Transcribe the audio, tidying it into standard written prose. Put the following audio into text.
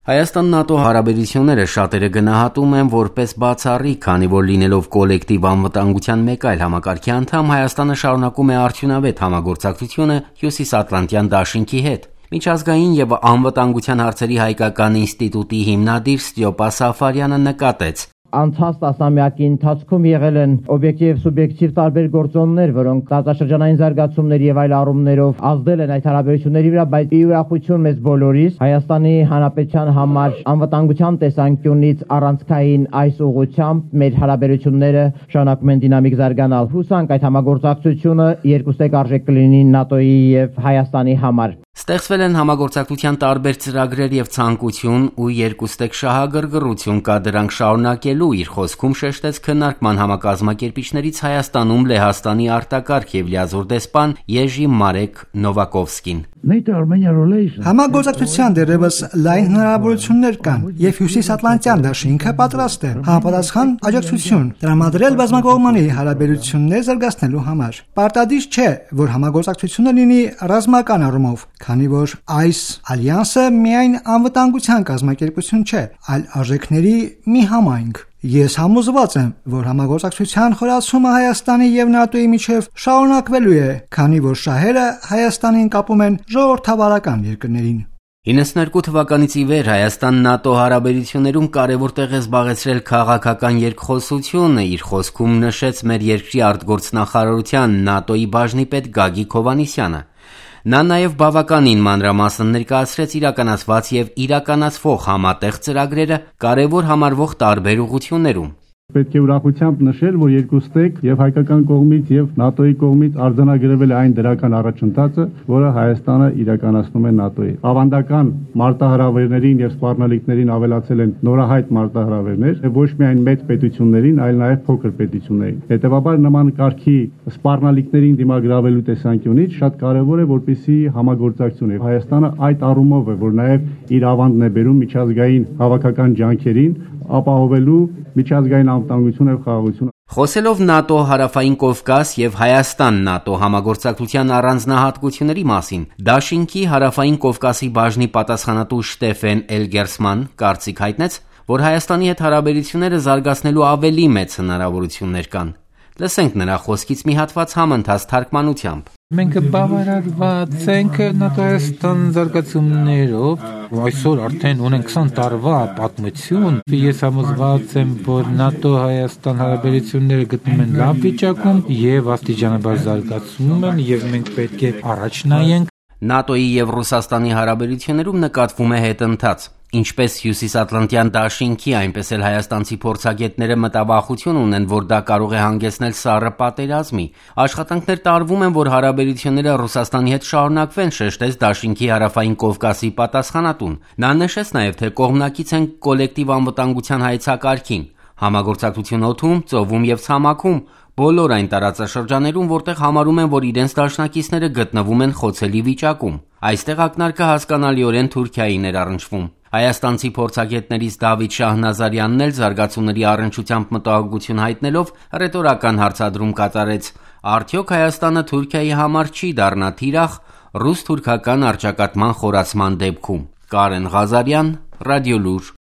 Հայաստան-ՆԱՏՕ հարաբերությունները շատերը գնահատում են որպես բացառիկ, քանի որ լինելով կոլեկտիվ անվտանգության մեկ այլ համակարգի անդամ, Հայաստանը շարունակում է արդյունավետ համագործակցությունը Հյուսիսատլանտյան դաշինքի հետ։ Միջազգային և անվտանգության հարցերի հայկական ինստիտուտի հիմնադիր Ստյոպա Սաֆարյանը նկատեց. Անցած տասնամյակի ընթացքում եղել են օբյեկտիվ և սուբյեկտիվ տարբեր գործոններ, որոնք տարածաշրջանային զարգացումների և այլ առումներով ազդել են այդ հարաբերությունների վրա, բայց ի ուրախություն մեզ բոլորիս Հայաստանի Հանրապետության համար անվտանգության տեսանկյունից առանցքային այս ուղղությամբ մեր հարաբերությունները շարունակում են դինամիկ զարգանալ։ Հուսանք այդ համագործակցությունը երկուստեք արժեք կլինի ՆԱՏՕ-ի և Հայաստանի համար։ Ստեղծվել են համագործակցության տարբեր ծրագրեր և ցանկություն ու երկուստեք շահագրգռություն կա դրանք շարունակելու, իր խոսքում շեշտեց քննարկման համակազմակերպիչներից Հայաստանում Լեհաստանի արտակարգ և լիազոր դեսպան Եժի Մարեք Նովակովսկին։ Համագործակցության դեռևս լայն հնարավորություններ կան և Հյուսիսատլանտյան դաշինքը պատրաստ է համապատասխան աջակցություն տրամադրել բազմակողմանի հարաբերություններ զարգացնելու համար։ Պարտադիր չէ, որ համագործակցությունը լինի ռազմական առումով, քանի որ այս ալյանսը միայն անվտանգության կազմակերպություն չէ, այլ արժեքների մի համայնք։ Ես համոզված եմ, որ համագործակցության խորացումը Հայաստանի և ՆԱՏՕ-ի միջև շարունակվելու է, քանի որ շահերը Հայաստանին կապում են ժողովրդավարական երկրներին։ 92 թվականից ի վեր Հայաստան-ՆԱՏՕ հարաբերություններում կարևոր տեղ է զբաղեցրել քաղաքական երկխոսությունը, իր խոսքում նշեց մեր երկրի արտգործնախարարության ՆԱՏՕ-ի բաժնի պետ Գագիկ Հովհաննիսյանը։ Նա նաև բավականին մանրամասն ներկայացրեց իրականացված և իրականացվող համատեղ ծրագրերը կարևոր համարվող տարբեր ուղղություններում։ Պետք է ուրախությամբ նշել, որ երկուստեք եւ հայկական կողմից եւ ՆԱՏՕ-ի կողմից արձանագրվել է այն դրական առաջընթացը, որը Հայաստանը իրականացնում է ՆԱՏՕ-ի։ Ավանդական մարտահրավերներին եւ սպառնալիքներին ավելացել են նորահայտ մարտահրավերներ, ոչ միայն մեծ պետություններին, այլ նաեւ փոքր պետություններին։ Հետևաբար նման կարգի սպառնալիքներին դիմագրավելու տեսանկյունից շատ կարեւոր է, որպեսզի համագործակցությունը Հայաստանը այդ առումով է, որ նաեւ իր ավանդն է բերում միջազգային հավաքական ջանքերին ապահովելու միջազգային անվտանգություն եւ խաղաղություն։ Խոսելով ՆԱՏՕ Հարավային Կովկաս եւ Հայաստան-ՆԱՏՕ համագործակցության առանձնահատկությունների մասին, Դաշինքի Հարավային Կովկասի բաժնի պատասխանատու Շտեֆեն Էլգերսման կարծիք հայտնեց, որ Հայաստանի հետ հարաբերությունները զարգացնելու ավելի մեծ հնարավորություններ կան։ Լսենք նրա խոսքից մի հատված համընթաց թարգմանությամբ։ Մենք բավարարված ենք ՆԱՏՕ-Հայաստան զարգացումներով, այսօր արդեն ունենք 20 տարվա պատմություն։ Ես համոզված եմ, որ ՆԱՏՕ-Հայաստան հարաբերությունները գտնվում են լավ վիճակում եւ աստիճանաբար զարգացում են եւ մենք պետք է առաջ նայենք։ ՆԱՏՕ-ի եւ Ռուսաստանի հարաբերություններում նկատվում է հետընթաց։ Ինչպես Հյուսիսատլանտյան դաշինքի, այնպես էլ հայաստանցի փորձագետները մտավախություն ունեն, որ դա կարող է հանգեցնել սառը պատերազմի։ Աշխատանքներ տարվում են, որ հարաբերությունները Ռուսաստանի հետ շարունակվեն, շեշտեց դաշինքի Հարավային Կովկասի պատասխանատուն։ Նա նշեց նաև, թե կողմնակից են կոլեկտիվ անվտանգության հայեցակարգին, համագործակցություն օդում, ծովում եւ ցամաքում, բոլոր այն տարածաշրջաներում, որտեղ համարում են, որ իրենց դաշնակիցները գտնվում են խոցելի վիճակում։ Այստեղ ակնարկը հասկանալիորեն Թուրքիայի ներառնչվում։ Հայաստանցի փորձագետներից Դավիթ Շահնազարյանն էլ զարգացումների առնչությամբ մտահոգություն հայտնելով ռետորական հարցադրում կատարեց. Արդյոք Հայաստանը Թուրքիայի համար չի դառնա թիրախ ռուս-թուրքական առճակատման խորացման դեպքում։ Կարեն Ղազարյան, Ռադիոլուր։